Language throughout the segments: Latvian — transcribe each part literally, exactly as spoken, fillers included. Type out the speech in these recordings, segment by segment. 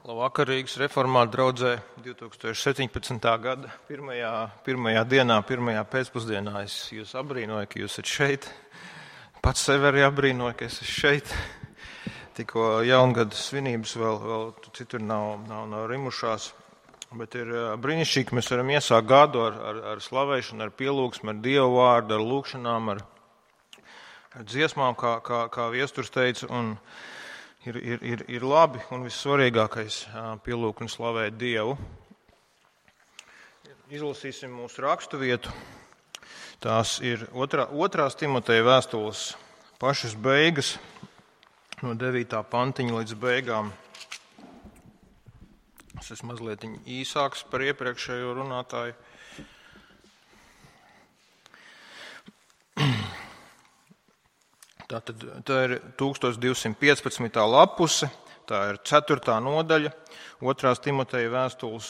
Labvakar, Rīgas reformātu draudzē divi tūkstoši septiņpadsmitā gada pirmajā, pirmajā dienā, pirmajā pēcpusdienā. Es jūs abrīnoju, ka jūs esat šeit. Pats sevi arī abrīnoju, ka es esmu šeit. Tikko jaungada svinības vēl, vēl citur nav, nav, nav rimušās. Bet ir brīnišķīgi, ka mēs varam iesākt gadu ar, ar, ar slavēšanu, ar pielūgsmu, ar Dievu vārdu, ar lūkšanām, ar, ar dziesmām, kā, kā, kā viesturs teica. Un Ir, ir, ir, ir labi un vissvarīgākais pielūgt un slavēt Dievu. Izlasīsim mūsu rakstu vietu. Tās ir otrā, otrās Timoteja vēstules pašas beigas, no devītā pantiņa līdz beigām. Es esmu mazliet īsāks par iepriekšējo runātāju. Tātad tā ir tūkstoš divsimt piecpadsmitā lapuse, tā ir ceturtā nodaļa, otrās Timoteja vēstules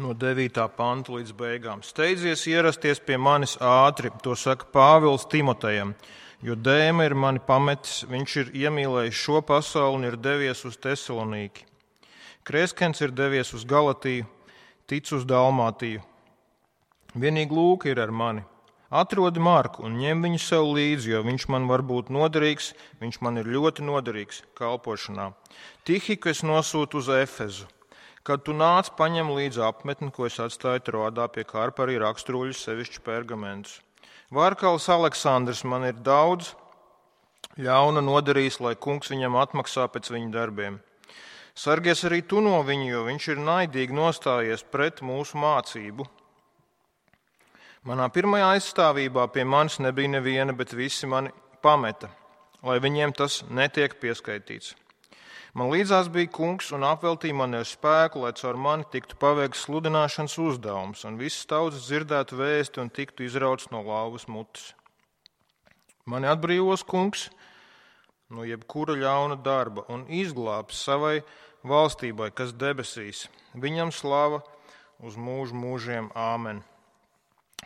no devītā panta līdz beigām. Steidzies ierasties pie manis ātri, to saka Pāvils Timotejam, jo Dēma ir mani pametis, viņš ir iemīlējis šo pasauli un ir devies uz Tesalonīki. Kreskens ir devies uz Galatiju, Tic uz Dalmātiju. Vienīgi Lūka ir ar mani. Atrodi Marku un ņem viņu sev līdzi, jo viņš man var būt noderīgs, viņš man ir ļoti noderīgs kalpošanā. Tihiku es nosūtu uz Efezu. Kad tu nāc, paņem līdzi apmetni, ko es atstāju Troādā pie Karparī raksturoļus, sevišķi pergamentus. Vārkals Aleksandrs man ir daudz ļauna nodarījis, lai kungs viņam atmaksā pēc viņa darbiem. Sargies arī tu no viņu, jo viņš ir naidīgi nostājies pret mūsu mācību. Manā pirmajā aizstāvībā pie manis nebija neviena, bet visi mani pameta, lai viņiem tas netiek pieskaitīts. Man līdzās bija kungs un apveltīja mani ar spēku, lai caur mani tiktu paveikts sludināšanas uzdevums, un visas tautas dzirdētu vēsti un tiktu izrauts no lauvas mutes. Mani atbrīvos kungs no jebkura ļauna darba un izglābs savai valstībai, kas debesīs. Viņam slava uz mūžu mūžiem. Āmen.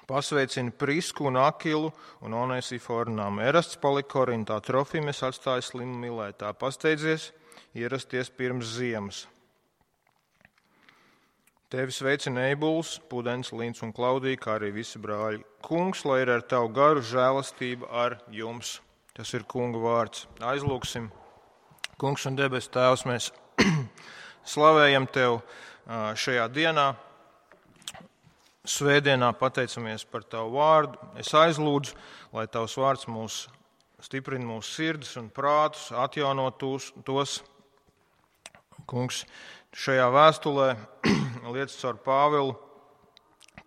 Pasveicina Prisku un Akilu un Onesiforu namu. Erasts palika Korintā, Trofimes atstāja slimu Milētā. Pasteidzies ierasties pirms ziemas. Tevi sveicina Eibuls, Pudens, Līns un Klaudija, kā arī visi brāļi. Kungs, lai ir ar tavu garu žēlastība ar jums. Tas ir kunga vārds. Aizlūksim. Kungs un debes tēvs, mēs slavējam tev šajā dienā. Svētdienā pateicamies par tavu vārdu. Es aizlūdzu, lai tavs vārds mūs stiprina mūsu sirdis un prātus, atjauno tos, tos. Kungs, šajā vēstulē liec caur Pāvilu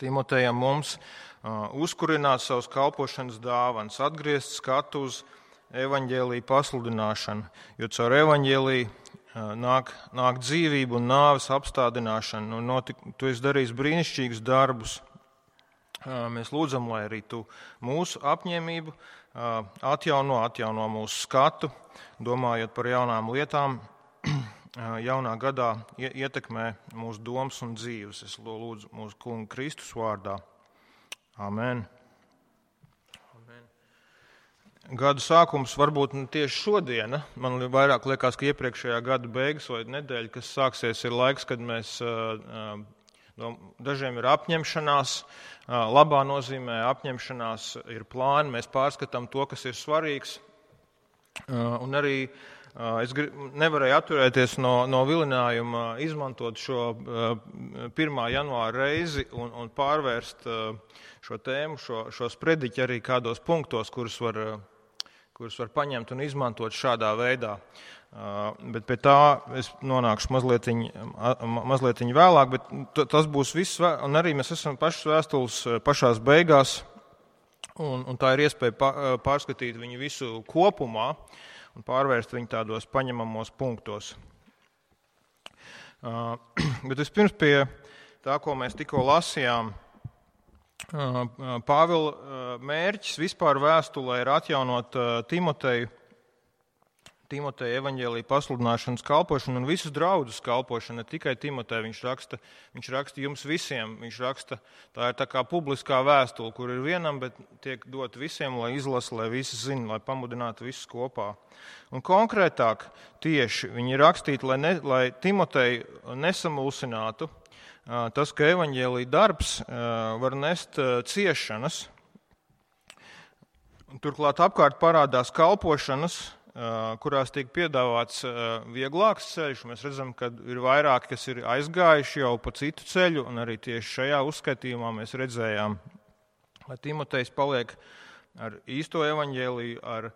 Timotejam mums uh, uzkurināt savus kalpošanas dāvanas, atgriezt skatu uz evaņģēlija pasludināšanu, jo caur evaņģēliju Nāk, nāk dzīvība un nāves apstādināšana. Un notik, tu esi darījis brīnišķīgus darbus. Mēs lūdzam, lai arī tu mūsu apņēmību atjauno, atjauno mūsu skatu, domājot par jaunām lietām, jaunā gadā ietekmē mūsu domas un dzīves. Es lūdzu mūsu kunga Kristus vārdā. Amen. Gada sākums varbūt tieši šodiena. Man vairāk liekas, ka iepriekšējā gada beigas vai nedēļa, kas sāksies, ir laiks, kad mēs, dažiem ir apņemšanās, labā nozīmē apņemšanās ir plāni, mēs pārskatām to, kas ir svarīgs. Un arī es nevarēju atturēties no, no vilinājuma izmantot šo pirmā janvāra reizi un, un pārvērst šo tēmu, šo, šo sprediķi arī kādos punktos, kurus var kurus var paņemt un izmantot šādā veidā. Bet pie tā es nonākšu mazliet, mazliet vēlāk, bet tas būs viss, un arī mēs esam pašas vēstules pašās beigās, un, un tā ir iespēja pārskatīt viņu visu kopumā un pārvērst viņu tādos paņemamos punktos. Bet vispirms pie tā, ko mēs tikko lasījām, Pāvila mērķis vispār vēstulē ir atjaunot Timoteju Timoteja evaņģēlija pasludināšanas kalpošanu un visas draudzes kalpošanu, ne tikai Timoteja. Viņš raksta, viņš raksta jums visiem. Viņš raksta, tā ir tā kā publiskā vēstule, kur ir vienam, bet tiek dot visiem, lai izlasa, lai visi zina, lai pamudinātu visus kopā. Un konkrētāk tieši viņi rakstīti, lai, ne, lai Timoteju nesamulsinātu tas, ka evaņģēlija darbs var nest ciešanas. Turklāt apkārt parādās kalpošanas, kurās tiek piedāvāts vieglāks ceļš. Mēs redzam, ka ir vairāki, kas ir aizgājuši jau pa citu ceļu, un arī tieši šajā uzskaitījumā mēs redzējām, lai Timotejs paliek ar īsto evaņģēliju, ar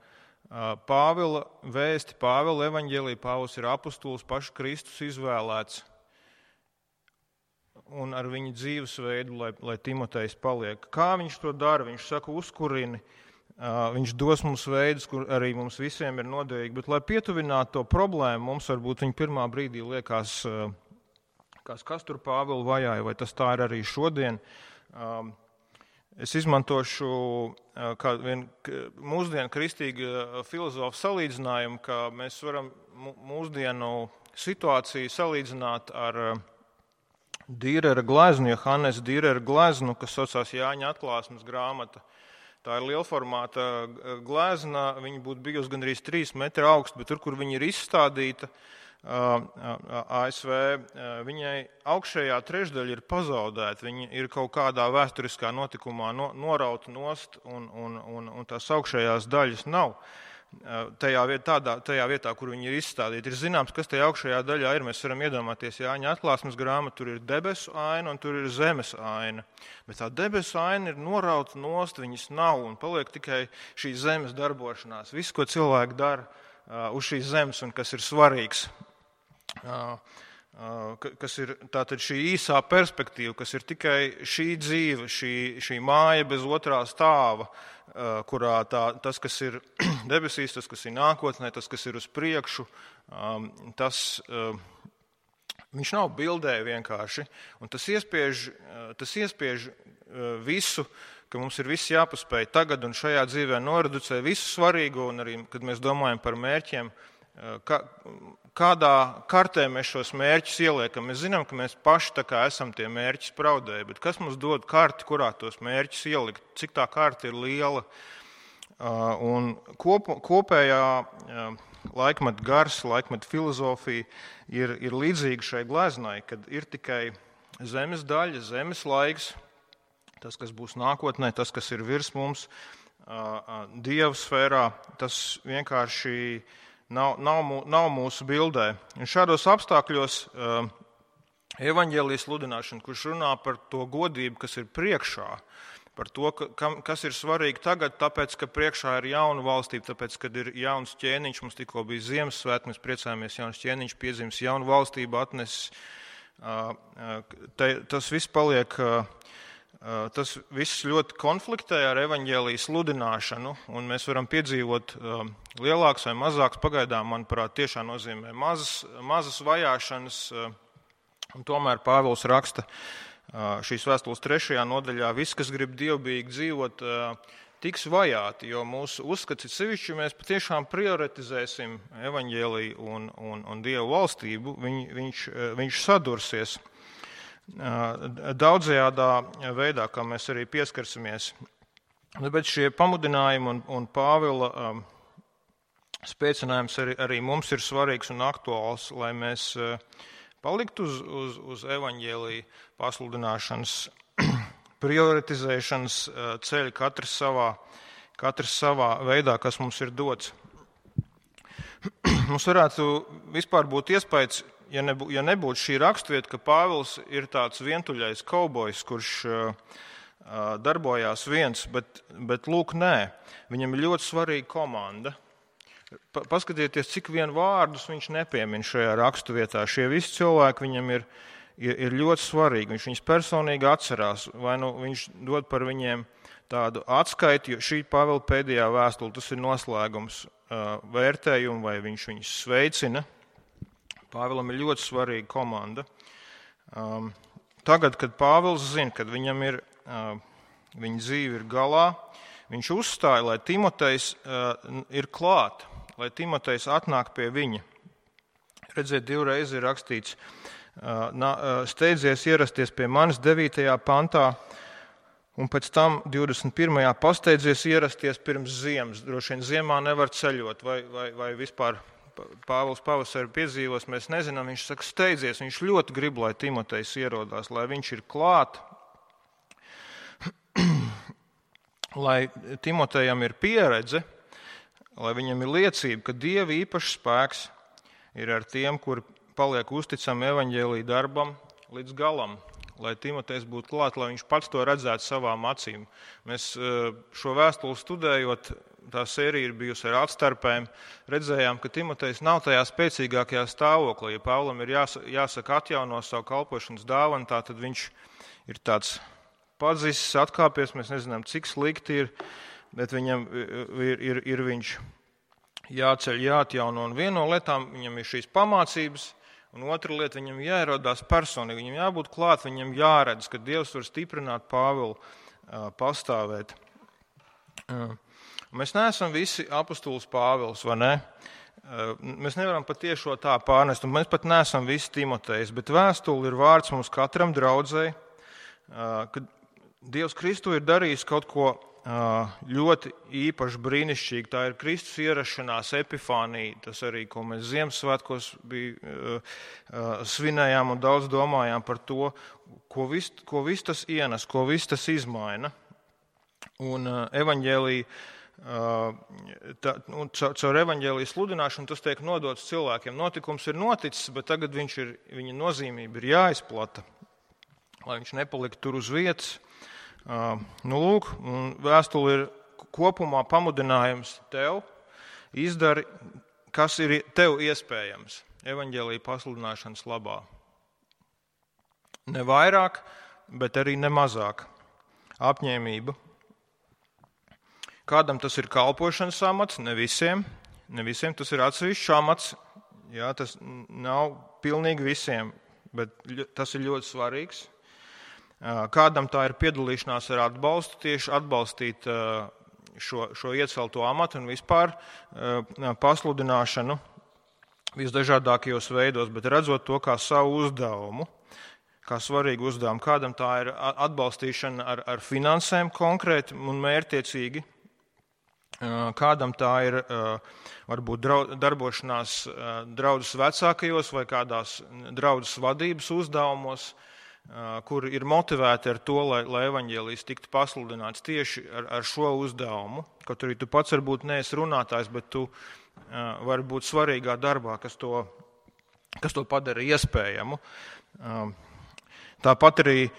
Pāvila vēsti, Pāvila evaņģēliju. Pāvils ir apustulis, pašu Kristus izvēlēts, un ar viņa dzīvesveidu, lai, lai Timotejs paliek. Kā viņš to dara? Viņš saka, uzkurini. Viņš dos mums veidus, kur arī mums visiem ir noderīgi, bet, lai pietuvinātu to problēmu, mums varbūt viņa pirmā brīdī liekas, kas, kas tur Pāvilu vajāja, vai tas tā ir arī šodien. Es izmantošu kādu vien mūsdienu kristīgu filozofu salīdzinājumu, ka mēs varam mūsdienu situāciju salīdzināt ar Dīrera gleznu, Johannes Dīrera gleznu, kas saucās Jāņa atklāsmes grāmata. Tā ir lielformāta glezna, viņa būtu bijusi gandrīz trīs metri augsta, bet tur, kur viņa ir izstādīta A S V, viņai augšējā trešdaļa ir pazaudēta. Viņa ir kaut kādā vēsturiskā notikumā norauta nost, un, un, un, un tās augšējās daļas nav. Tajā vietā, tādā, tajā vietā, kur viņi ir izstādīti. Ir zināms, kas tajā augšējā daļā ir. Mēs varam iedomāties Jāņa atklāsmes grāmatu, tur ir debesu aina un tur ir zemes aina. Bet tā debesu aina ir norauta nost, viņas nav un paliek tikai šī zemes darbošanās. Viss, ko cilvēki dara uh, uz šīs zemes un kas ir svarīgs. Uh, uh, kas ir tātad šī īsā perspektīva, kas ir tikai šī dzīve, šī, šī māja bez otrā stāva, kurā tā, tas, kas ir debesīs, tas, kas ir nākotnē, tas, kas ir uz priekšu, tas, viņš nav bildē vienkārši, un tas iespiež, tas iespiež visu, ka mums ir viss jāpaspēj tagad un šajā dzīvē noreducē visu svarīgo, un arī, kad mēs domājam par mērķiem, Kā, kādā kartē mēs šos mērķus ieliekam. Mēs zinām, ka mēs paši tā kā esam tie mērķi spraudēji, bet kas mums dod karti, kurā tos mērķus ielikt, cik tā karta ir liela. Un kop, kopējā laikmeta gars, laikmeta filozofija ir, ir līdzīga šai gleznai, kad ir tikai zemes daļa, zemes laiks, tas, kas būs nākotnē, tas, kas ir virs mums, Dieva sfērā, tas vienkārši Nav, nav, nav mūsu bildē. Un šādos apstākļos uh, evaņģēlijas sludināšana, kurš runā par to godību, kas ir priekšā, par to, ka, kas ir svarīgi tagad, tāpēc, ka priekšā ir jauna valstība, tāpēc, kad ir jauns ķēniņš, mums tikko bija Ziemassvētki, mēs priecājamies, jauns ķēniņš piedzimis, jaunu valstību atnesis. Uh, te, tas viss paliek... Uh, Tas viss ļoti konfliktē ar evaņģēlijas sludināšanu, un mēs varam piedzīvot lielāks vai mazāks, pagaidām, manuprāt, tiešām nozīmē mazas, mazas vajāšanas, un tomēr Pāvils raksta šīs vēstules trešajā nodaļā, viss, kas grib dievbijīgi dzīvot, tiks vajāti, jo mūsu uzskats ir sevišķi, mēs patiešām prioritizēsim evaņģēliju un, un, un Dievu valstību, Viņ, viņš, viņš sadursies daudzajādā veidā, kā mēs arī pieskarsimies. Bet šie pamudinājumi un, un Pāvila um, spēcinājums arī, arī mums ir svarīgs un aktuāls, lai mēs uh, paliktu uz, uz, uz evaņģēlija pasludināšanas, prioritizēšanas uh, ceļa katrs savā, katrs savā veidā, kas mums ir dots. Mums varētu vispār būt iespējas, Ja, nebū, ja nebūtu šī rakstvieta, ka Pāvils ir tāds vientuļais kaubojs, kurš uh, darbojās viens, bet, bet lūk, nē, viņam ir ļoti svarīga komanda. Pa, paskatieties, cik vien vārdus viņš nepiemin šajā rakstvietā. Šie visi cilvēki viņam ir, ir, ir ļoti svarīgi. Viņš viņus personīgi atcerās, vai nu viņš dod par viņiem tādu atskaiti, jo šī Pāvila pēdējā vēstule, tas ir noslēgums uh, vērtējumu, vai viņš viņus sveicina. Pāvilam ir ļoti svarīga komanda. Um, tagad, kad Pāvils zina, kad viņam ir, uh, viņa dzīve ir galā, viņš uzstāja, lai Timotejs uh, ir klāt, lai Timotejs atnāk pie viņa. Redziet, divreiz ir rakstīts, steidzies ierasties pie manis devītajā pantā, un pēc tam divdesmit pirmajā pasteidzies ierasties pirms ziemas. Droši vien ziemā nevar ceļot, vai, vai, vai vispār Pāvils pavasari piedzīvos, mēs nezinām. Viņš saka, steidzies, viņš ļoti grib, lai Timotejs ierodās, lai viņš ir klāt, lai Timotejam ir pieredze, lai viņam ir liecība, ka Dieva īpašs spēks ir ar tiem, kuri paliek uzticami evaņģēlija darbam līdz galam, lai Timotejs būtu klāt, lai viņš pats to redzētu savām acīm. Mēs šo vēstuli studējot, tā sērija ir bijusi ar atstarpēm, redzējām, ka Timotejs nav tajā spēcīgākajā stāvoklī. Ja Pāvlam ir jāsaka atjauno savu kalpošanas dāvanu, tā tad viņš ir tāds padzisis, atkāpies, mēs nezinām, cik slikti ir, bet viņam ir, ir, ir viņš jāceļ, jāatjauno. Un viena no lietām viņam ir šīs pamācības, un otra lieta viņam jāierodās personīgi, viņam jābūt klāt, viņam jāredz, ka Dievs var stiprināt Pāvilu pastāvēt. Mēs neesam visi apostols Pāvils, vai ne? Mēs nevaram pat tiešo tā pārnest, un mēs pat neesam visi Timotejs, bet vēstuli ir vārds mums katram draudzei, ka Dievs Kristu ir darījis kaut ko ļoti īpaši brīnišķīgi. Tā ir Kristus ierašanās epifānija, tas arī, ko mēs Ziemassvētkos bija, svinējām un daudz domājām par to, ko viss ko vis tas ienes, ko viss tas izmaina. Un evaņģēlija, tā, un caur evaņģēlija sludināšanu tas tiek nodots cilvēkiem. Notikums ir noticis, bet tagad viņš ir, viņa nozīmība ir jāizplata, lai viņš nepalikt tur uz vietas. Nu, lūk, vēstule ir kopumā pamudinājums tev, izdari, kas ir tev iespējams evaņģēlija pasludināšanas labā. Ne vairāk, bet arī ne mazāk. Apņēmība. Kādam tas ir kalpošanas amats, ne visiem. Ne visiem tas ir atsevišķs amats. Jā, tas nav pilnīgi visiem, bet tas ir ļoti svarīgs. Kādam tā ir piedalīšanās ar atbalstu, tieši atbalstīt šo, šo iecelto amatu un vispār pasludināšanu visdažādākajos veidos, bet redzot to kā savu uzdevumu, kā svarīgu uzdevumu. Kādam tā ir atbalstīšana ar, ar finansēm konkrēti un mērķtiecīgi. Kādam tā ir varbūt darbošanās draudzes vecākajos vai kādās draudzes vadības uzdevumos, kur ir motivēti ar to, lai, lai evaņģēlijs tiktu pasludināts tieši ar, ar šo uzdevumu. Kaut arī tu pats varbūt neesi runātājs, bet tu vari būt svarīgā darbā, kas to, kas to padara iespējamu. Tāpat arī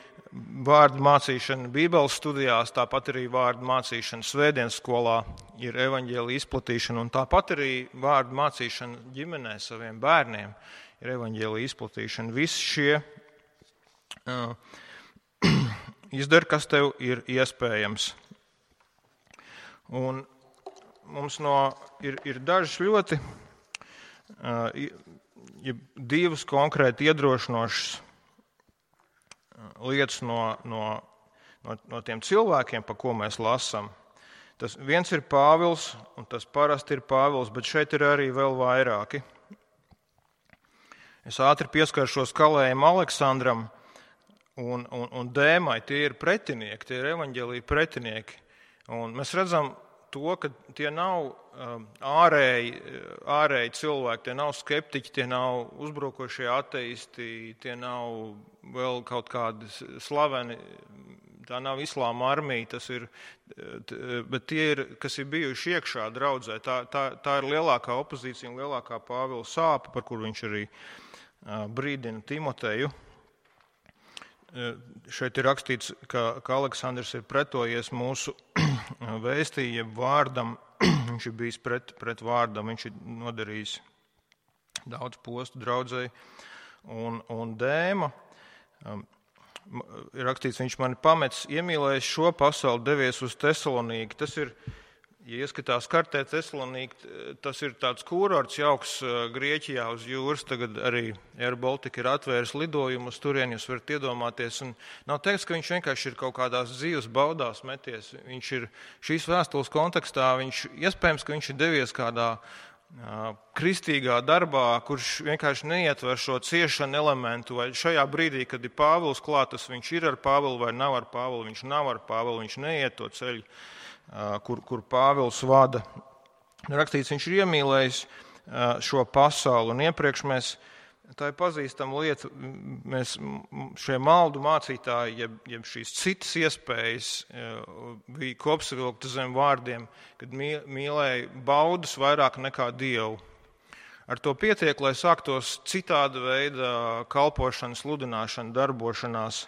vārdu mācīšana Bībeles studijās, tāpat arī vārdu mācīšana svētdienas skolā ir evaņģēlija izplatīšana, un tāpat arī vārdu mācīšana ģimenē saviem bērniem ir evaņģēlija izplatīšana. Visi šie uh, izdara, kas tev ir iespējams. Un mums no, ir, ir dažas ļoti uh, ja divas konkrēti iedrošinošas lietas no, no, no, no tiem cilvēkiem, pa ko mēs lasām. Tas viens ir Pāvils, un tas parasti ir Pāvils, bet šeit ir arī vēl vairāki. Es ātri pieskaršos Kalējam Aleksandram un, un, un Dēmai. Tie ir pretinieki, tie ir evaņģēlija pretinieki. Un mēs redzam to, ka tie nav ārēji, ārēji cilvēki, tie nav skeptiķi, tie nav uzbrukošie ateisti, tie nav vēl kaut kādi slaveni, tā nav islāma armija, tas ir, bet tie ir, kas ir bijuši iekšā draudzē, tā, tā, tā ir lielākā opozīcija un lielākā Pāvila sāpe, par kur viņš arī brīdina Timoteju. Šeit ir rakstīts, ka, ka Aleksandrs ir pretojies mūsu vēstījiem vārdam, viņš ir bijis pret, pret vārdam, viņš ir nodarījis daudz postu draudzei, un, un Dēma, ir rakstīts, viņš mani pametis, iemīlējis šo pasauli, devies uz Tesalonīku. Tas ir, ja ieskatās kartē Tesalonīku, tas ir tāds kurorts jauks Grieķijā uz jūras, tagad arī Air Baltica ir atvēris lidojumu uz turien, jūs varat iedomāties, un nav teiks, ka viņš vienkārši ir kaut kādās dzīves baudās meties. Viņš ir šīs vēstules kontekstā, viņš iespējams, ka viņš ir devies kādā kristīgā darbā, kurš vienkārši neietver šo ciešanu elementu, vai šajā brīdī, kad ir Pāvils klātas, viņš ir ar Pāvilu vai nav ar Pāvilu, viņš nav ar Pāvilu, viņš neiet to ceļu, kur, kur Pāvils vada. Rakstīts, viņš ir iemīlējis šo pasauli, un iepriekš mēs, tā ir pazīstama lieta, mēs šie maldu mācītāji, jeb, jeb šīs citas iespējas bija kopsavilkta zem vārdiem, kad mīlēja baudas vairāk nekā Dievu. Ar to pietiek, lai sāktos citāda veida kalpošana, sludināšana, darbošanās,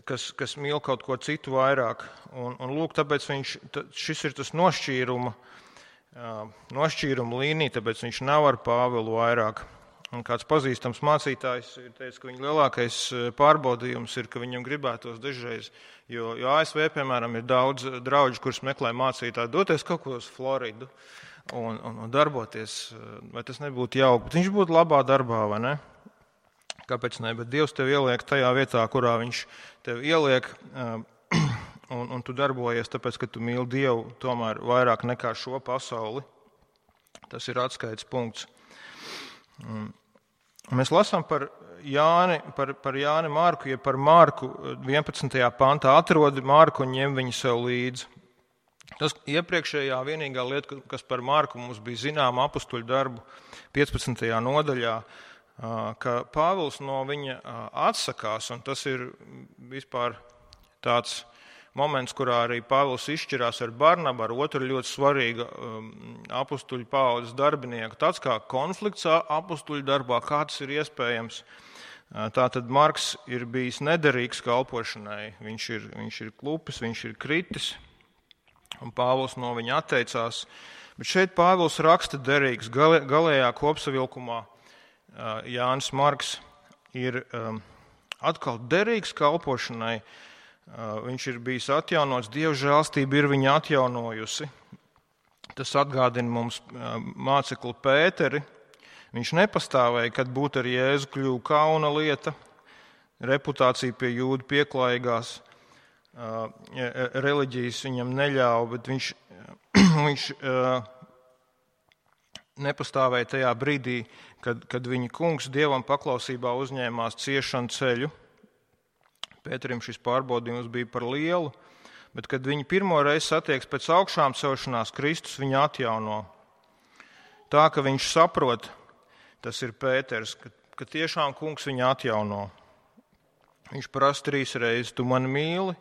kas, kas mīl kaut ko citu vairāk. Un, un lūk, tāpēc viņš, šis ir tas nošķīruma, nošķīruma līnija, tāpēc viņš nav ar Pāvilu vairāk. Un kāds pazīstams mācītājs ir teicis, ka viņa lielākais pārbaudījums ir, ka viņam gribētos dažreiz, jo, jo A S V, piemēram, ir daudz drauģu, kurus meklē mācītāji, doties kaut ko uz Floridu un, un, un darboties, vai tas nebūtu jauki, bet viņš būtu labā darbā, vai ne? Kāpēc ne? Bet Dievs tev ieliek tajā vietā, kurā viņš tev ieliek, Un, un tu darbojies, tāpēc, ka tu mīli Dievu tomēr vairāk nekā šo pasauli. Tas ir atskaites punkts. Mēs lasām par Jāni, par, par Jāni Marku, ja par Marku vienpadsmitajā pantā atrodi Marku un ņem viņu sev līdzi. Tas iepriekšējā vienīgā lieta, kas par Marku mums bija zināma apustuļu darbu piecpadsmitajā nodaļā, ka Pāvils no viņa atsakās, un tas ir vispār tāds moments, kurā arī Pāvils izšķirās ar Barnabu, ar otru ļoti svarīgu um, apustuļu paaudzes darbinieku. Tāds kā konflikts apustuļu darbā, kā tas ir iespējams. Tātad Marks ir bijis nederīgs kalpošanai. Viņš ir, viņš ir klupis, viņš ir kritis, un Pāvils no viņa atteicās. Bet šeit Pāvils raksta derīgs. Gal, galējā kopsavilkumā Jānis Marks ir um, atkal derīgs kalpošanai. Viņš ir bijis atjaunots, Dieva žēlstība ir viņu atjaunojusi. Tas atgādina mums mācekli Pēteri. Viņš nepastāvēja, kad būt ar Jēzu kļuva kauna lieta, reputācija pie jūdu pieklājīgās reliģijas viņam neļāva, bet viņš, viņš nepastāvēja tajā brīdī, kad, kad viņa kungs Dievam paklausībā uzņēmās ciešanu ceļu. Pēterim šis pārbaudījums bija par lielu, bet, kad viņi pirmo reizi satieks pēc augšām celšanās, Kristus viņu atjauno. Tā, ka viņš saprot, tas ir Pēters, ka, ka tiešām kungs viņu atjauno. Viņš prasa trīs reizes, tu mani mīli?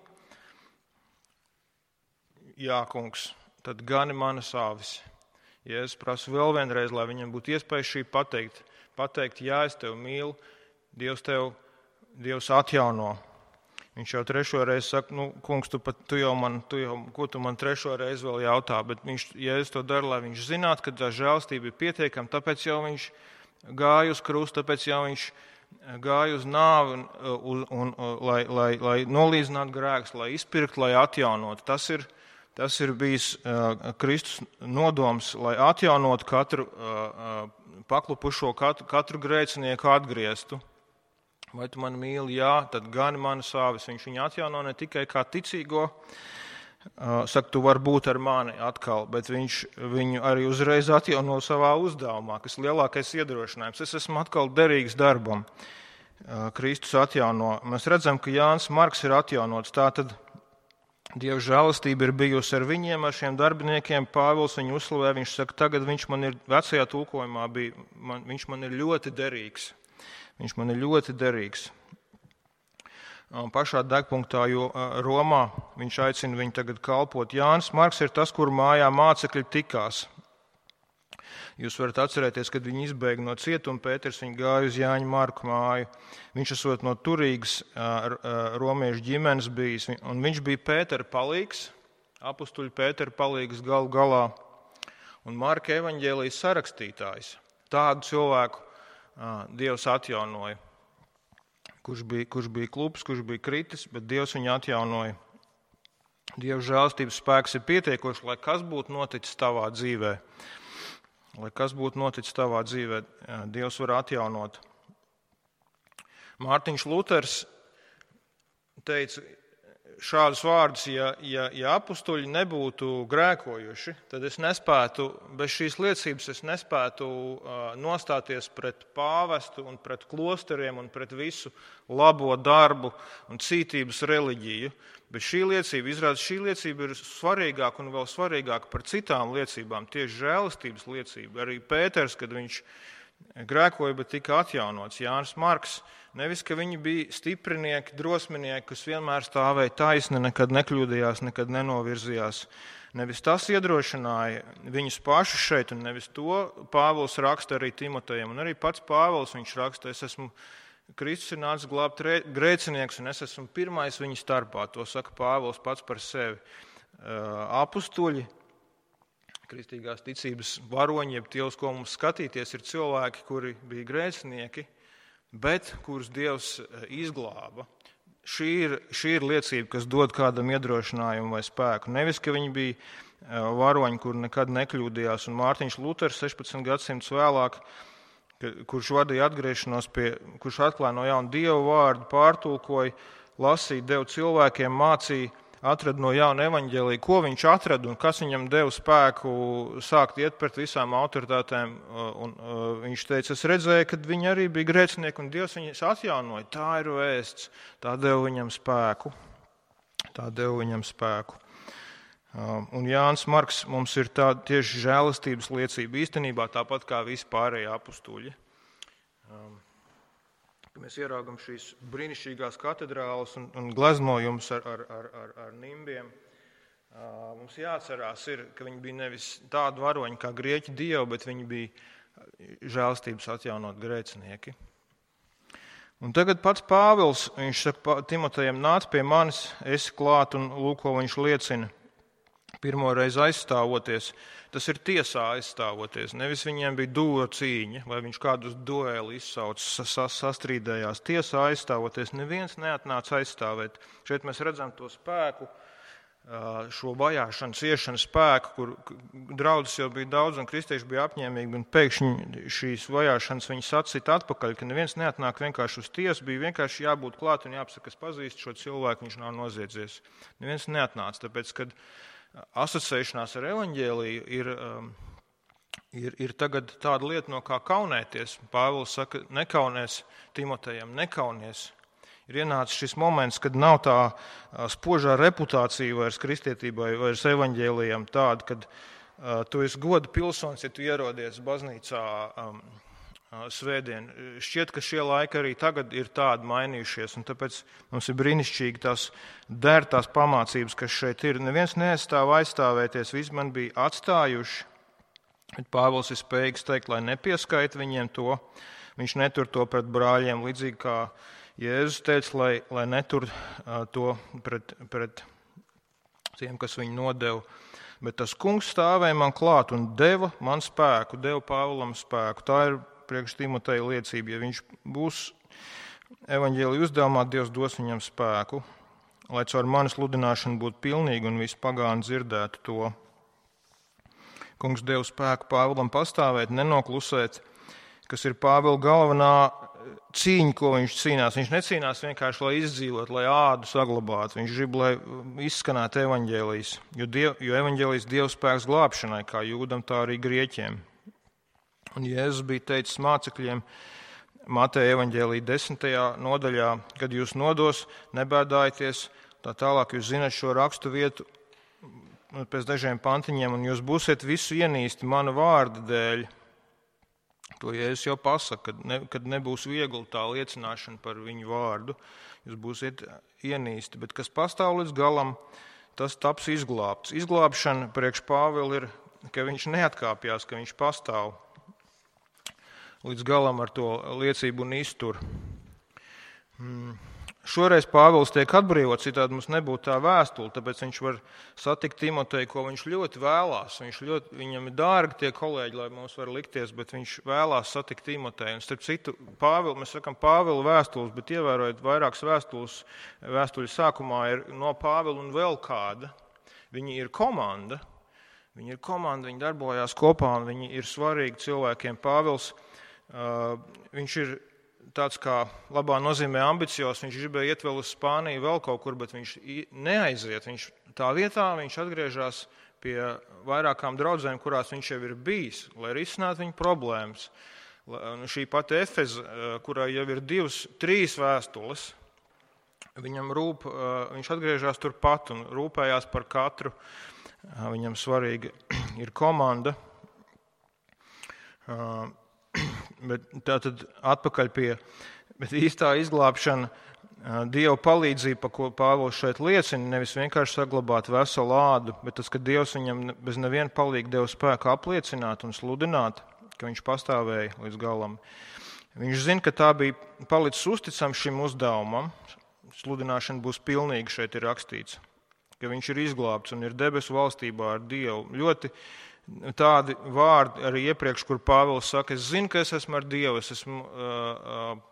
Jā, kungs, tad gani manas avis. Jēzus prasa vēl vienreiz, lai viņam būtu iespēja šī pateikt. Pateikt, jā, es tevi mīlu, Dievs tev, Dievs atjauno. Viņš jau trešo reizi saka, nu, kungs, tu, pat, tu jau man, tu jau, ko tu man trešo reizi vēl jautā, bet viņš, Jēzus to dara, lai viņš zinātu, ka tā žēlstība ir pietiekama, tāpēc jau viņš gāja uz krustu, tāpēc jau viņš gāja uz nāvi, un, un, un, lai, lai, lai nolīdzinātu grēkus, lai izpirktu, lai atjaunotu. Tas ir, tas ir bijis uh, Kristus nodoms, lai atjaunotu katru uh, paklupušo, katru, katru grēcinieku atgrieztu. Vai tu mani mīli? Jā, tad gani manas āvis. Viņš viņu atjauno ne tikai kā ticīgo, saka, tu vari būt ar mani atkal, bet viņš viņu arī uzreiz atjauno savā uzdevumā, kas ir lielākais iedrošinājums. Es esmu atkal derīgs darbam. Kristus atjauno. Mēs redzam, ka Jānis Marks ir atjaunots. Tātad Dieva žēlastība ir bijusi ar viņiem, ar šiem darbiniekiem. Pāvils viņu uzslavē, viņš saka, tagad viņš man ir, vecajā tulkojumā bija, man, viņš man ir ļoti derīgs. Viņš man ir ļoti derīgs. Un pašā degpunktā, jo Romā viņš aicina viņu tagad kalpot. Jānis Marks ir tas, kur mājā mācekļi tikās. Jūs varat atcerēties, kad viņi izbēga no cietuma, Pēters viņu gāja uz Jāņa Marku māju. Viņš esot no turīgas romiešu ģimenes bijis, un viņš bija Pētera palīgs, apustuļu Pētera palīgs galu galā, un Marka evaņģēlijas sarakstītājs. Tādu cilvēku Dievs atjaunoja, kurš bija, kurš bija klups, kurš bija kritis, bet Dievs viņu atjaunoja. Dieva žēlastības spēks ir pietiekošs, lai kas būtu noticis tavā dzīvē. Lai kas būtu noticis tavā dzīvē, Dievs var atjaunot. Mārtiņš Luters teica, šādus vārdus, ja, ja, ja apustuļi nebūtu grēkojuši, tad es nespētu, bez šīs liecības es nespētu uh, nostāties pret pāvestu un pret klosteriem un pret visu labo darbu un cītības reliģiju. Bet šī liecība, izrādās, šī liecība ir svarīgāka un vēl svarīgāka par citām liecībām, tieši žēlistības liecība. Arī Pēters, kad viņš grēkoja, bet tika atjaunots. Jānis Marks, nevis, ka viņi bija stiprinieki, drosminieki, kas vienmēr stāvēja taisni, nekad nekļūdījās, nekad nenovirzījās. Nevis tas iedrošināja viņus pašus šeit, un nevis to Pāvils raksta arī Timotejam. Un arī pats Pāvils viņš raksta, es esmu Kristus ir nācis glābt grēcinieks, un es esmu pirmais viņa starpā. To saka Pāvils pats par sevi. Apustuļi, kristīgās ticības varoņi, jeb tie, uz ko mums skatīties, ir cilvēki, kuri bija grēcinieki, bet kurus Dievs izglāba. Šī ir, šī ir liecība, kas dod kādam iedrošinājumu vai spēku. Nevis, ka viņi bija varoņi, kur nekad nekļūdījās, un Mārtiņš Luters sešpadsmit gadsimtus vēlāk, kurš vadīja atgriešanos pie, kurš atklāja no jauna Dievu vārdu, pārtulkoja, lasīja, deva cilvēkiem, mācīja, atrada no jauna evaņģēliju, ko viņš atrada un kas viņam deva spēku sākt iet pret visām autoritātēm. Un, uh, viņš teica, es redzēju, ka viņi arī bija grēcinieki un Dievs viņus atjaunoja. Tā ir vēsts, tā deva viņam spēku. Tā deva viņam spēku. Uh, un Jānis Marks mums ir tā tieši žēlastības liecība īstenībā tāpat kā visi pārējie apustuļi. Um, Mēs ieraugam šīs brīnišķīgās katedrāles un, un gleznojumus ar, ar, ar, ar, ar nimbiem. Uh, mums jāatcerās, ir, ka viņi bija nevis tādi varoņi kā grieķu dievi, bet viņi bija žēlastības atjaunot grēcinieki. Un tagad pats Pāvils, viņš saka Timotejam, nāc pie manis, esi klāt un lūk, ko viņš liecina. Pirmo reizi aizstāvoties, tas ir tiesā aizstāvoties. Nevis viņiem bija dūra cīņa, vai viņš kādus dueli izsauc, sastrīdējās. Tiesā aizstāvoties, neviens neatnāca aizstāvēt. Šeit mēs redzam to spēku, šo vajāšanas, iešanas spēku, kur draudzes jau bija daudz un kristieši bija apņēmīgi, un pēkšņi šīs vajāšanas viņi sacita atpakaļ, ka neviens neatnāk vienkārši uz tiesu, bija vienkārši jābūt klāt un jāpasaka, es pazīstu šo cilvēku, viņš nav noziedzies. Neviens neatnāca, tāpēc, kad asociēšanās ar evaņģēliju ir, ir, ir tagad tāda lieta, no kā kaunēties. Pāvils saka, nekaunies Timotejam, nekaunies. Ir ienācis šis moments, kad nav tā spožā reputācija vairs kristietībai, vairs evaņģēlijam tāda, kad uh, tu esi goda pilsonis, ja tu ierodies baznīcā um, svētdien. Šķiet, ka šie laiki arī tagad ir tādi mainījušies, un tāpēc mums ir brīnišķīgi tās dērtās pamācības, kas šeit ir. Neviens neaizstāv aizstāvēties, visi man bija atstājuši, bet Pāvils ir spējīgs teikt, lai nepieskaita viņiem to. Viņš netur to pret brāļiem, līdzīgi kā Jēzus teica, lai, lai netur to pret, pret tiem, kas viņu nodeva. Bet tas kungs stāvēja man klāt un deva man spēku, deva Pāvilam spēku. Tā ir priekš Timoteja liecība. Ja viņš būs evaņģēlija uzdevumā, Dievs dos viņam spēku, lai caur manis sludināšanu būtu pilnīga un visi pagāni dzirdētu to. Kungs deva spēku Pāvilam pastāvēt, nenoklusēt, kas ir Pāvila galvenā cīņa, ko viņš cīnās. Viņš necīnās vienkārši, lai izdzīvot, lai ādu saglabātu. Viņš grib, lai izskanētu evaņģēlijs, jo, diev, jo evaņģēlijs Dieva spēks glābšanai, kā jūdam, tā arī grieķiem. Un Jēzus bija teicis mācekļiem Mateja evaņģēlija desmitajā nodaļā, kad jūs nodos, nebēdājieties, tā tālāk jūs zināt šo rakstu vietu pēc dažiem pantiņiem, un jūs būsiet visu ienīsti mana vārda dēļ. To Jēzus jau pasaka, kad, ne, kad nebūs viegli tā liecināšana par viņu vārdu, jūs būsiet ienīsti, bet kas pastāv līdz galam, tas taps izglābts. Izglābšana priekš Pāvila ir, ka viņš neatkāpjās, ka viņš pastāv līdz galam ar to liecību un iztur. Hmm. Šoreiz Pāvils tiek atbrīvots, citādi mums nebūtu tā vēstule, tāpēc viņš var satikt Timoteju, ko viņš ļoti vēlās. Viņš ļoti, viņam ir dārgi tie kolēģi, lai mums var likties, bet viņš vēlās satikt Timoteju. Un starp citu, Pāvil, mēs sakam Pāvila vēstules, bet ievērojot vairākas vēstules, vēstuļu sākumā ir no Pāvila un vēl kāda. Viņi ir komanda, viņi ir komanda, viņi darbojās kopā un viņi ir svarīgi cilvēkiem. Pāvils, uh, viņš ir tāds kā labā nozīmē ambicios, viņš gribēja iet vēl uz Spāniju, vēl kaut kur, bet viņš neaiziet. Viņš tā vietā viņš atgriežas pie vairākām draudzēm, kurās viņš jau ir bijis, lai risinātu viņu problēmas. Šī pati Efeza, kurā jau ir divas, trīs vēstules, viņam rūp, viņš atgriežas turpat un rūpējās par katru. Viņam svarīga ir komanda. Bet tā tad atpakaļ pie bet īstā izglābšana, Dieva palīdzība, par ko Pāvils šeit liecina, nevis vienkārši saglabāt veselu ādu, bet tas, ka Dievs viņam bez neviena palīga deva spēku apliecināt un sludināt, ka viņš pastāvēja līdz galam. Viņš zina, ka tā bija palicis uzticams šim uzdevumam. Sludināšana būs pilnīga, šeit ir rakstīts, ka viņš ir izglābts un ir debesu valstībā ar Dievu. Ļoti tādi vārdi arī iepriekš, kur Pāvils saka, es zinu, ka es esmu ar Dievu, es esmu uh, uh,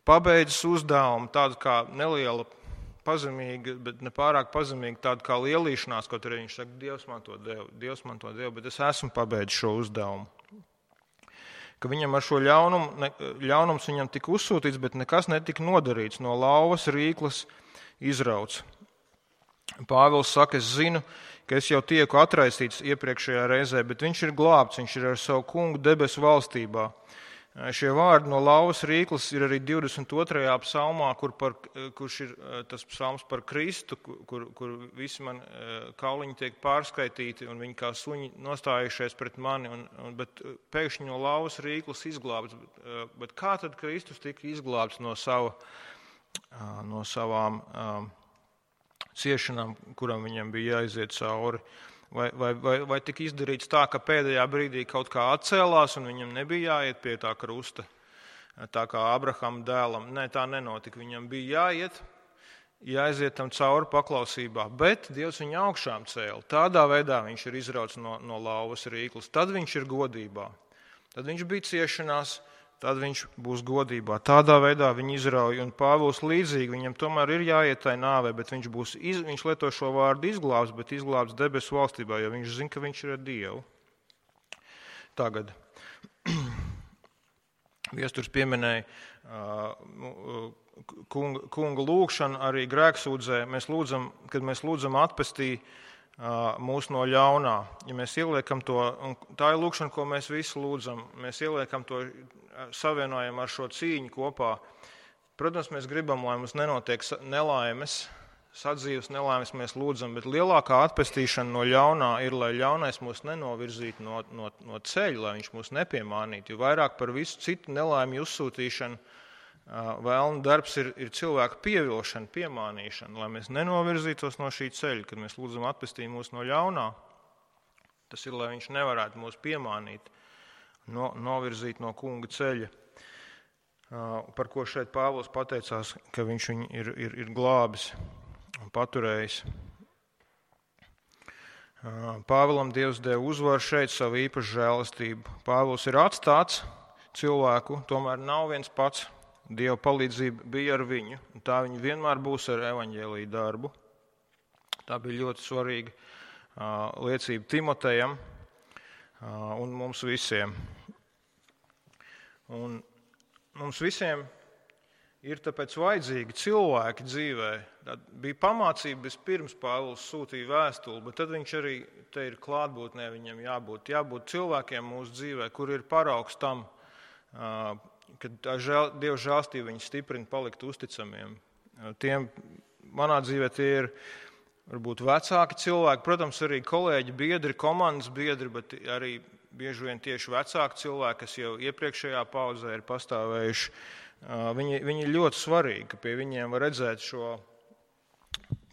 pabeidzis uzdevumu, tāda kā neliela pazemīga, bet ne pārāk pazemīga, tāda kā lielīšanās, kaut arī viņš saka, Dievs man to deva, Dievs man to deva, bet es esmu pabeidzis šo uzdevumu. Ka viņam ar šo ļaunumu, ne, ļaunums viņam tika uzsūtīts, bet nekas netika nodarīts, no lauvas rīklas izrauts. Pāvils saka, es zinu, ka es jau tieku atraisīts iepriekšējā reizē, bet viņš ir glābts, viņš ir ar savu kungu debesu valstībā. Šie vārdi no lauvas rīklas ir arī divdesmit otrajā psalmā, kur par, kurš ir tas psalms par Kristu, kur, kur visi man kauliņi tiek pārskaitīti un viņi kā suņi nostājušies pret mani, un, un, bet pēkšņi no lauvas rīklas izglābts. Bet, bet kā tad Kristus tika izglābts no, sava, no savām um, ciešanām, kuram viņam bija jāiziet cauri? Vai, vai, vai, vai tika izdarīts tā, ka pēdējā brīdī kaut kā atcēlās un viņam nebija jāiet pie tā krusta, tā kā Abrahama dēlam? Nē, tā nenotika. Viņam bija jāiet, jāiziet tam cauri paklausībā, bet Dievs viņu augšām cēla. Tādā veidā viņš ir izrauts no, no lauvas rīklas. Tad viņš ir godībā. Tad viņš bija ciešanās, tad viņš būs godībā. Tādā veidā viņu izrauj, un Pāvils līdzīgi, viņam tomēr ir jāiet tai nāvē, bet viņš, būs, iz, viņš lieto šo vārdu izglābs, bet izglābs debesu valstībā, jo viņš zina, ka viņš ir ar Dievu. Tagad. Viesturs pieminēja uh, kunga, kunga lūgšanu arī grēksūdzē. Mēs lūdzam, kad mēs lūdzam atpestī mūs no ļaunā. Ja mēs ieliekam to, un tā ir lūkšana, ko mēs visi lūdzam, mēs ieliekam to, savienojam ar šo cīņu kopā. Protams, mēs gribam, lai mums nenotiek nelaimes, sadzīves nelaimes mēs lūdzam, bet lielākā atpestīšana no ļaunā ir, lai ļaunais mūs nenovirzītu no, no, no ceļa, lai viņš mūs nepiemānītu. Jo vairāk par visu citu nelaimi uzsūtīšanu vēlna darbs ir, ir cilvēku pievilšana, piemānīšana, lai mēs nenovirzītos no šī ceļa, kad mēs lūdzam atpestīt mūs no ļaunā. Tas ir, lai viņš nevarētu mūs piemānīt, no, novirzīt no kunga ceļa, par ko šeit Pāvils pateicās, ka viņš viņu ir, ir, ir glābis un paturējis. Pāvilam Dievs deva uzvaru šeit, savu īpašu žēlastību. Pāvils ir atstāts cilvēku, tomēr nav viens pats. Dieva palīdzība bija ar viņu, un tā viņa vienmēr būs ar evaņģēliju darbu. Tā bija ļoti svarīga uh, liecība Timotejam uh, un mums visiem. Un mums visiem ir tāpēc vajadzīgi cilvēki dzīvē. Tā bija pamācība vispirms Pāvils sūtīja vēstuli, bet tad viņš arī te ir klātbūtnē, viņam jābūt, jābūt cilvēkiem mūsu dzīvē, kur ir paraugs tam, uh, kad žēl, Dieva žēlstība viņus stiprina palikt uzticamiem. Tiem, manā dzīvē tie ir varbūt vecāki cilvēki, protams, arī kolēģi, biedri, komandas biedri, bet arī bieži vien tieši vecāki cilvēki, kas jau iepriekšējā paudzē ir pastāvējuši. Viņi, viņi ir ļoti svarīgi, ka pie viņiem var redzēt šo,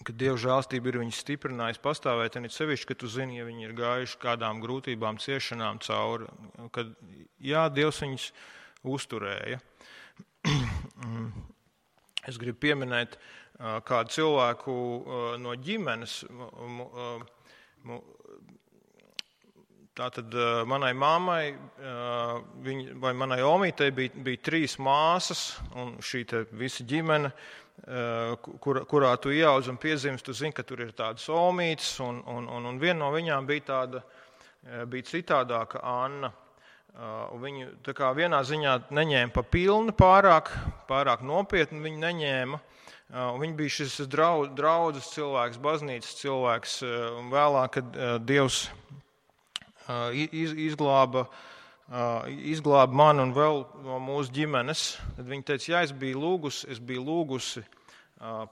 ka Dieva žēlstība ir viņus stiprinājusi pastāvēt, un it sevišķi, ka tu zini, ja viņi ir gājuši kādām grūtībām, ciešanām cauri, kad jā, Dievs viņus uzturēja. Es gribu pieminēt kādu cilvēku no ģimenes. Tātad manai mammai vai manai omītei bija, bija trīs māsas, un šī te visa ģimene, kur, kurā tu ieaudz un piedzimis, tu zini, ka tur ir tādas omītes, un, un, un, un viena no viņām bija tāda, bija citādāka Anna. Viņu tā kā vienā ziņā neņēma pa pilnu pārāk, pārāk nopietni, viņi neņēma. Viņi bija šis draudzes cilvēks, baznīcas cilvēks, un vēlāk, kad Dievs izglāba, izglāba mani un vēl no mūsu ģimenes, tad viņi teica, ja es biju lūgusi, es biju lūgusi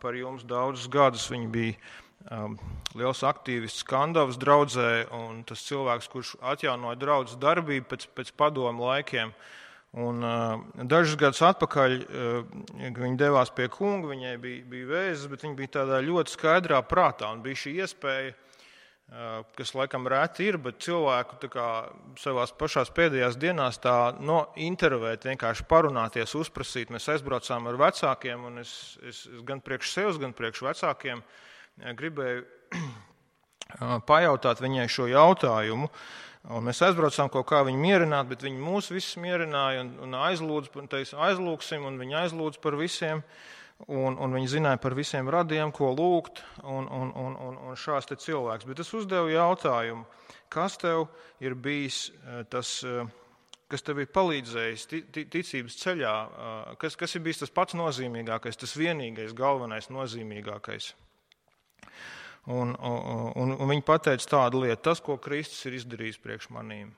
par jums daudzus gadus. Viņi bija liels aktīvists Skandavas draudzē, un tas cilvēks, kurš atjaunoja draudzes darbību pēc, pēc padomu laikiem. Un uh, dažus gadus atpakaļ uh, viņi devās pie kunga, viņai bija, bija vēzis, bet viņa bija tādā ļoti skaidrā prātā, un bija šī iespēja, uh, kas laikam reti ir, bet cilvēku tā kā savās pašās pēdējās dienās tā no intervēt, vienkārši parunāties, uzprasīt. Mēs aizbraucām ar vecākiem, un es, es, es gan priekš sevis, gan priekš vecākiem gribēju pajautāt viņai šo jautājumu. Un mēs aizbraucām kaut kā viņu mierināt, bet viņi mūs visus mierināja un, un aizlūdz, un teica, aizlūksim, un viņi aizlūdz par visiem, un, un viņi zināja par visiem radiem, ko lūgt, un, un, un, un, un šāds te cilvēks. Bet es uzdevu jautājumu, kas tev ir bijis tas, kas tev ir palīdzējis ticības ceļā, kas, kas ir bijis tas pats nozīmīgākais, tas vienīgais, galvenais nozīmīgākais. Un, un, un viņi pateica tādu lietu, tas, ko Kristus ir izdarījis priekš manīm.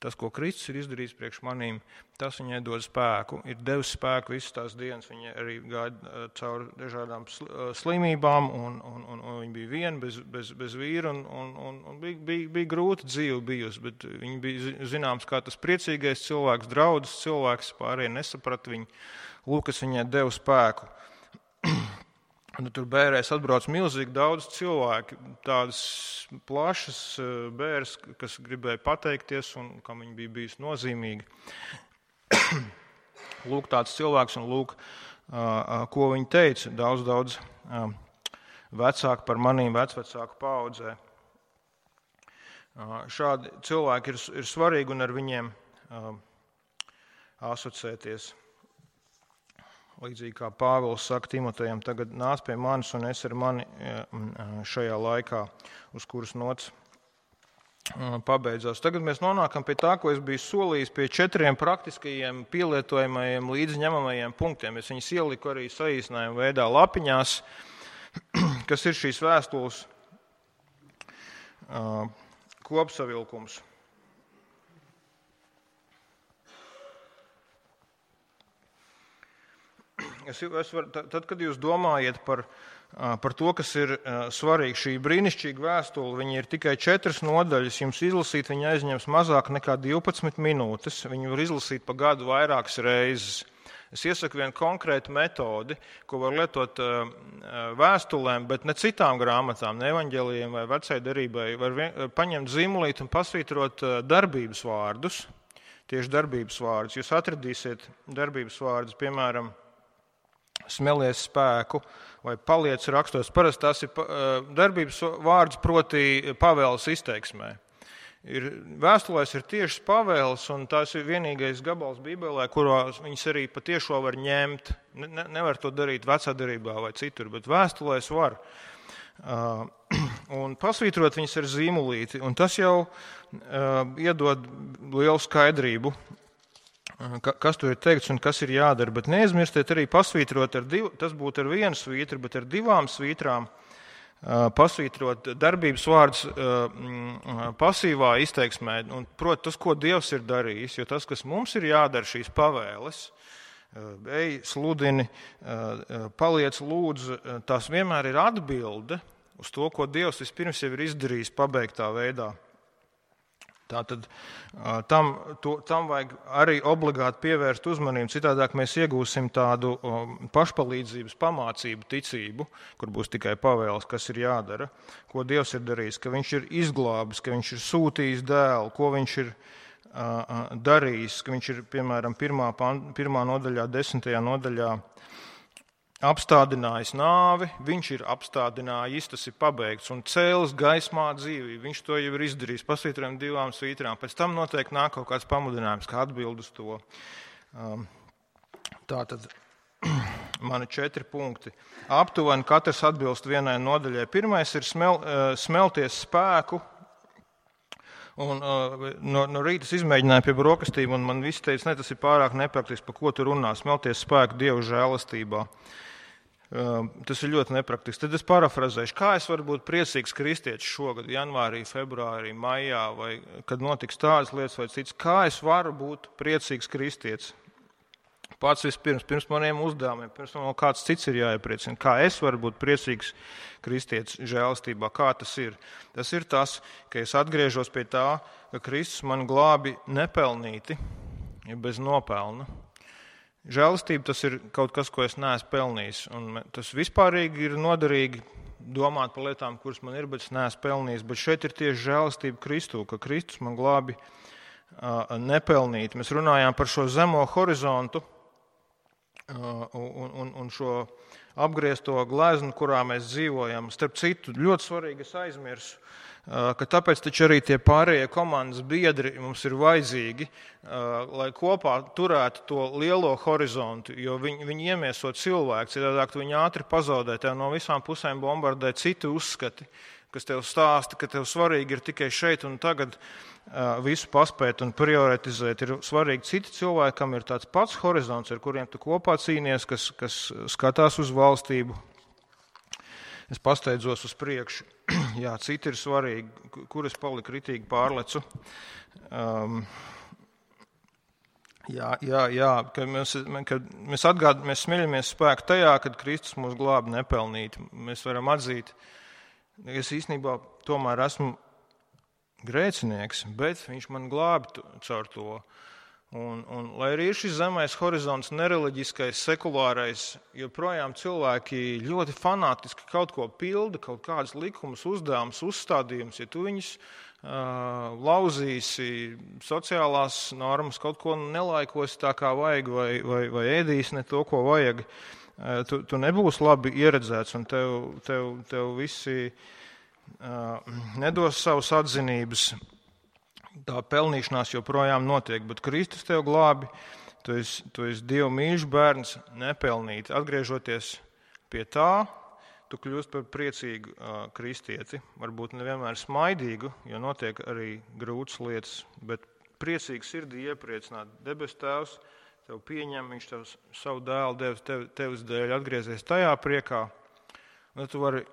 Tas, ko Kristus ir izdarījis priekš manīm, tas viņai dod spēku. Ir devis spēku visas tās dienas. Viņa arī gāja cauri dažādām slimībām, un, un, un, un viņa bija viena bez, bez, bez vīra, un, un, un, un bija, bija, bija grūta dzīve bijusi, bet viņa bija zināms kā tas priecīgais cilvēks, draudzes cilvēks, pārējie nesaprata viņu. Lūk, kas viņai deva spēku. Un tur bērēs atbrauc milzīgi daudz cilvēki, tādas plašas bēres, kas gribēja pateikties un kam viņi bija bijis nozīmīgi. Lūk, tāds cilvēks un lūk, ko viņi teica, daudz, daudz vecāki par manīm, vecvecāku paaudzē. Šādi cilvēki ir, ir svarīgi un ar viņiem asociēties. Līdzīgi kā Pāvils saka Timotejam, tagad nāc pie manis un es ar mani šajā laikā, uz kuras nots pabeidzās. Tagad mēs nonākam pie tā, ko es biju solījis, pie četriem praktiskajiem pielietojamajiem līdzņemamajiem punktiem. Es viņus ieliku arī saīsinājumu veidā lapiņās, kas ir šīs vēstules kopsavilkums. Es, es var, tad, kad jūs domājat par, par to, kas ir svarīgi, šī brīnišķīga vēstule, viņa ir tikai četras nodaļas, jums izlasīt, viņa aizņems mazāk nekā divpadsmit minūtes, viņu var izlasīt pa gadu vairākas reizes. Es iesaku vienu konkrētu metodi, ko var lietot vēstulēm, bet ne citām grāmatām, ne evaņģēlijiem vai vecai derībai, var vien, paņemt zīmulīt un pasvītrot darbības vārdus, tieši darbības vārdus. Jūs atradīsiet darbības vārdus, piemēram, smelies spēku vai paliec rakstos. Parasti tās ir darbības vārds proti pavēles izteiksmē. Ir, vēstulēs ir tiešas pavēles, un tās ir vienīgais gabals Bībelē, kurā viņas arī patiešo var ņemt. Ne, nevar to darīt vecā derībā vai citur, bet vēstulēs var. Uh, un pasvītrot viņas ar zīmulīti, un tas jau uh, iedod lielu skaidrību, kas tur ir teikts un kas ir jādara, bet neaizmirstiet arī pasvītrot ar divu, tas būtu ar vienu svītru, bet ar divām svītrām pasvītrot darbības vārds pasīvā izteiksmē, un proti tas, ko Dievs ir darījis, jo tas, kas mums ir jādara šīs pavēles, ej, sludini, paliec, lūdzu, tās vienmēr ir atbilde uz to, ko Dievs vispirms jau ir izdarījis pabeigtā veidā. Tātad tam, to, tam vajag arī obligāti pievērst uzmanību, citādāk mēs iegūsim tādu pašpalīdzības pamācību ticību, kur būs tikai pavēles, kas ir jādara, ko Dievs ir darījis, ka viņš ir izglābis, ka viņš ir sūtījis dēlu, ko viņš ir uh, darījis, ka viņš ir, piemēram, pirmā, pirmā nodaļā, desmitajā nodaļā apstādinājis nāvi, viņš ir apstādinājis, tas ir pabeigts, un cēlis gaismā dzīvību. Viņš to jau ir izdarījis, pasvītrojam divām svītrām. Pēc tam noteikti nāk kaut kāds pamudinājums, kā atbild uz to. Tātad mani četri punkti. Aptuveni katrs atbilst vienai nodaļai. Pirmais ir smel, smelties spēku, Un, uh, no, no rīta es izmēģināju pie brokastīm, un man viss teica, ne, tas ir pārāk nepraktiski, par ko tu runā, smelties spēku Dieva žēlastībā. Uh, tas ir ļoti nepraktiski. Tad es parafrazēšu, kā es varu būt priecīgs kristietis šogad, janvārī, februārī, maijā, vai kad notiks tādas lietas vai citas. Kā es varu būt priecīgs kristietis? Pats vispirms, pirms maniem uzdevumiem, pirms man kāds cits ir jāiepriecina. Kā es varu būt priecīgs kristietis žēlastībā? Kā tas ir? Tas ir tas, ka es atgriežos pie tā, ka Kristus man glābi nepelnīti, ja bez nopelna. Žēlastība tas ir kaut kas, ko es neesmu pelnījis. Un tas vispārīgi ir noderīgi domāt par lietām, kuras man ir, bet es neesmu pelnījis. Bet šeit ir tieši žēlastība Kristū, ka Kristus man glābi uh, nepelnīti. Mēs runājām par šo zemo horizontu uh, un, un, un šo apgriezto gleznu, kurā mēs dzīvojam. Starp citu, ļoti svarīgi es aizmirsu, ka tāpēc taču arī tie pārējie komandas biedri mums ir vajadzīgi, lai kopā turētu to lielo horizontu, jo viņi, viņi iemieso cilvēku, citādāk viņi ātri pazaudē, tev no visām pusēm bombardē citi uzskati, kas tev stāsta, ka tev svarīgi ir tikai šeit un tagad visu paspēt un prioritizēt. Ir svarīgi citi cilvēki, kam ir tāds pats horizonts, ar kuriem tu kopā cīnies, kas, kas skatās uz valstību. Es pasteidzos uz priekšu. Jā, citi ir svarīgi, kur es paliku ritīgi pārlecu. Um, jā, jā, jā, kad mēs, kad mēs atgād, mēs smiļamies spēku tajā, kad Kristus mūs glābi nepelnīti. Mēs varam atzīt, es īstenībā tomēr esmu grēcinieks, bet viņš man glābi caur to. Un, un, lai arī ir šis zemais horizonts, nereliģiskais, sekulārais, joprojām cilvēki ļoti fanātiski kaut ko pilda, kaut kādas likumus, uzdevumus, uzstādījumus. Ja tu viņus uh, lauzīsi, sociālās normas, kaut ko nelaikosi tā kā vajag, vai, vai, vai ēdīsi ne to, ko vajag, uh, tu, tu nebūsi labi ieredzēts, un tev, tev, tev visi uh, nedos savus atzinības. Tā pelnīšanās joprojām notiek, bet Kristus tev glābi, tu esi, tu esi Dieva mīļš bērns, nepelnīti. Atgriežoties pie tā, tu kļūst par priecīgu uh, kristieti, varbūt nevienmēr smaidīgu, jo notiek arī grūtas lietas, bet priecīgu sirdī iepriecināt. Debes Tēvs tev pieņem, viņš tev savu dēlu devis tev, tevis dēļ, atgriezies tajā priekā, un tu vari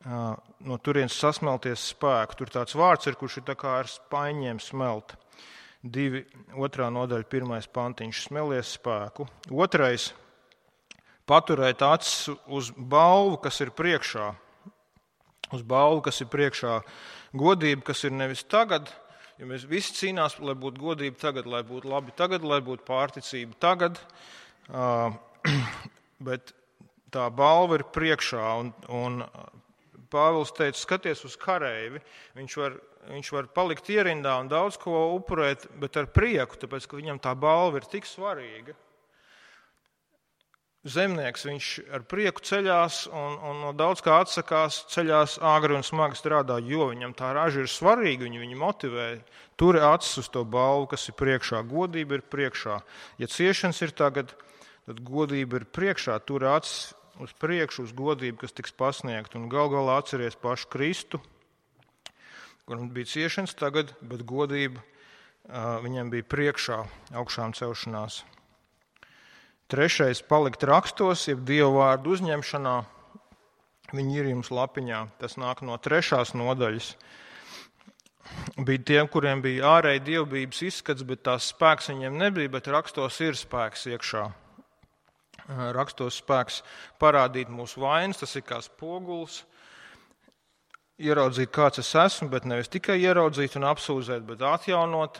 no turienes sasmelties spēku. Tur tāds vārds ir, kurš ir tā kā ar spaiņiem smelt. Divi, otrā nodaļa, pirmais pantiņš, smelies spēku. Otrais, paturēt acis uz balvu, kas ir priekšā. Uz balvu, kas ir priekšā. Godība, kas ir nevis tagad, jo mēs visi cīnās, lai būtu godība tagad, lai būtu labi tagad, lai būtu pārticība tagad, bet tā balva ir priekšā, un, un Pāvils teica, skaties uz kareivi, viņš var, viņš var palikt ierindā un daudz ko upurēt, bet ar prieku, tāpēc, ka viņam tā balva ir tik svarīga. Zemnieks, viņš ar prieku ceļās un, un no daudz kā atsakās, ceļās āgri un smagi strādā, jo viņam tā raža ir svarīga, viņu, viņu motivē. Turi acis uz to balvu, kas ir priekšā, godība ir priekšā. Ja ciešanas ir tagad, tad godība ir priekšā, turi acis uz priekšu, uz godību, kas tiks pasniegt. Un gal galā atceries pašu Kristu, kuram bija ciešanas tagad, bet godība uh, viņam bija priekšā augšām celšanās. Trešais, palikt rakstos, jeb Dievu vārdu uzņemšanā. Viņi ir jums lapiņā. Tas nāk no trešās nodaļas. Bija tiem, kuriem bija ārēji dievbības izskats, bet tās spēks viņiem nebija, bet rakstos ir spēks iekšā. Rakstos spēks parādīt mūsu vainas, tas ir kā spogulis, ieraudzīt, kāds es esmu, bet nevis tikai ieraudzīt un apsūdzēt, bet atjaunot,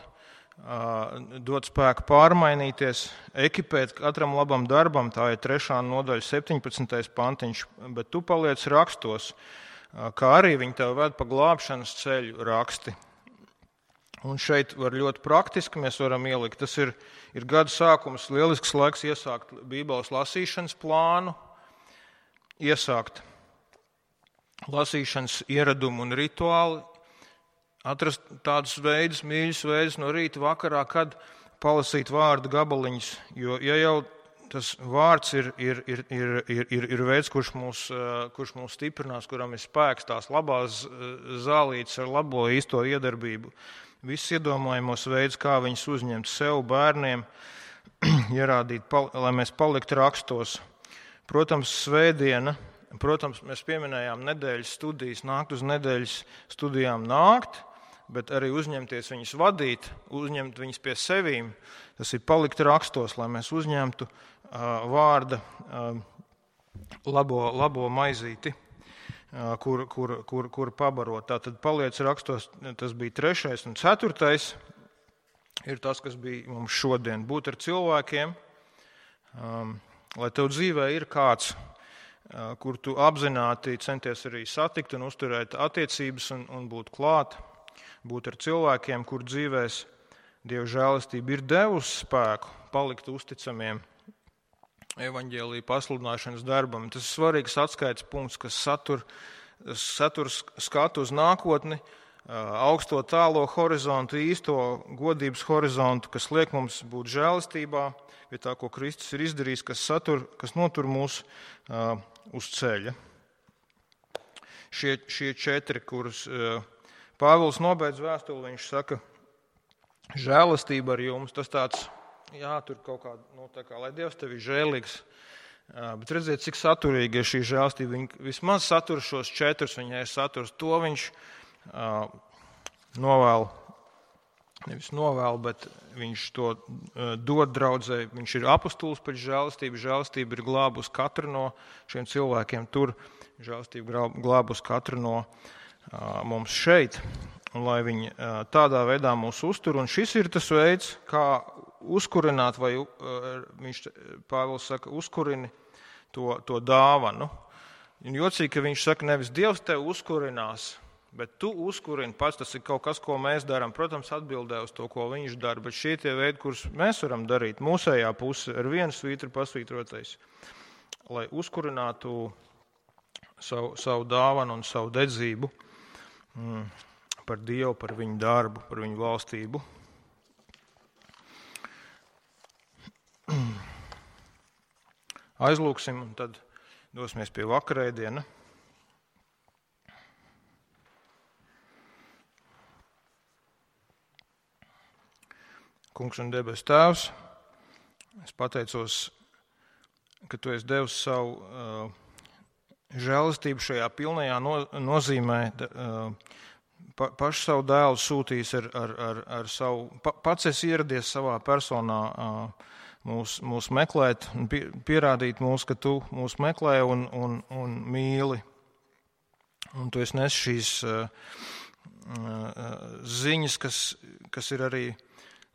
dot spēku pārmainīties, ekipēt katram labam darbam, tā ir trešā nodaļa, septiņpadsmitais pantiņš, bet tu paliec rakstos, kā arī viņi tev ved pa glābšanas ceļu raksti. Un šeit var ļoti praktiski mēs varam ielikt. Tas ir, ir gada sākums, lielisks laiks iesākt Bībeles lasīšanas plānu, iesākt lasīšanas ieradumu un rituāli, atrast tādus veidus, mīļus veidus no rīta vakarā, kad palasīt vārdu gabaliņus. Jo, ja jau tas vārds ir, ir, ir, ir, ir, ir, ir veids, kurš mūs, kurš mūs stiprinās, kuram ir spēks, tās labās zālītes ar labo īsto iedarbību, viss iedomājamos veids, kā viņus uzņemt sev, bērniem, ierādīt, lai mēs paliktu rakstos. Protams, svētdiena, protams, mēs pieminējām nedēļas studijas, nākt uz nedēļas studijām nākt, bet arī uzņemties viņus vadīt, uzņemt viņus pie sevīm. Tas ir palikt rakstos, lai mēs uzņemtu uh, vārda uh, labo, labo maizīti, uh, kur, kur, kur, kur pabarot. Tātad paliec rakstos, tas bija trešais un ceturtais. Ir tas, kas bija mums šodien. Būt ar cilvēkiem, um, lai tev dzīvē ir kāds, uh, kur tu apzināti centies arī satikt un uzturēt attiecības un, un būt klāt. Būt ar cilvēkiem, kur dzīvēs Dieva žēlastība ir devusi spēku palikt uzticamiem evaņģēlija pasludināšanas darbam. Tas ir svarīgs atskaites punkts, kas satur, satur skatu uz nākotni, augsto tālo horizontu, īsto godības horizontu, kas liek mums būt žēlastībā, pie tā, ko Kristus ir izdarījis, kas, satur, kas notur mūs uh, uz ceļa. Šie, šie četri, kurus uh, Pāvils nobeidz vēstuli, viņš saka, žēlastība ar jums, tas tāds, jā, tur kaut kā, nu, tā kā, lai Dievs tev ir žēlīgs, uh, bet redziet, cik saturīgi ir šī žēlastība. Viņa vismaz satur šos četrus, viņai saturs, to viņš uh, novēl, nevis novēl, bet viņš to uh, dod draudzē. Viņš ir apostols pēc žēlastību, žēlastība ir glābus katru no šiem cilvēkiem tur, žēlastība glābus katru no uh, mums šeit. Un lai viņi tādā veidā mūs uztur. Un šis ir tas veids, kā uzkurināt, vai viņš, Pāvils saka, uzkurini to, to dāvanu. Un jocīgi, ka viņš saka, nevis Dievs tev uzkurinās, bet tu uzkurini pats. Tas ir kaut kas, ko mēs darām. Protams, atbildē uz to, ko viņš dara, bet šie tie veidi, kurus mēs varam darīt, mūsējā puse ar vienu svītru pasvītrotais, lai uzkurinātu savu, savu dāvanu un savu dedzību. Mm. Par Dievu, par viņu darbu, par viņu valstību. Aizlūksim un tad dosimies pie vakarēdiena. Kungs un debes Tēvs, es pateicos, ka Tu esi devis savu uh, žēlastību šajā pilnajā no, nozīmē, uh, Pa, pašu savu dēlu sūtījis ar, ar, ar, ar savu, pa, pats esi ieradies savā personā mūs, mūs meklēt un pie, pierādīt mūs, ka tu mūs meklē un, un, un mīli. Un tu esi nes šīs uh, uh, ziņas, kas, kas ir arī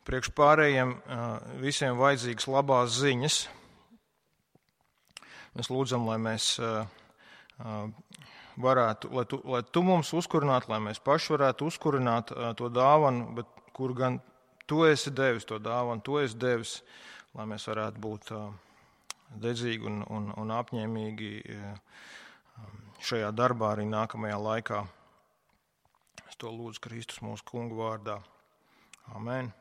priekš pārējiem uh, visiem vajadzīgas labās ziņas. Mēs lūdzam, lai mēs uh, uh, varētu, lai tu, lai tu mums uzkurinātu, lai mēs paši varētu uzkurināt uh, to dāvanu, bet kur gan tu esi devis to dāvanu, tu esi devis, lai mēs varētu būt uh, dedzīgi un, un, un apņēmīgi uh, šajā darbā arī nākamajā laikā. Es to lūdzu Kristus mūsu kungu vārdā. Amen.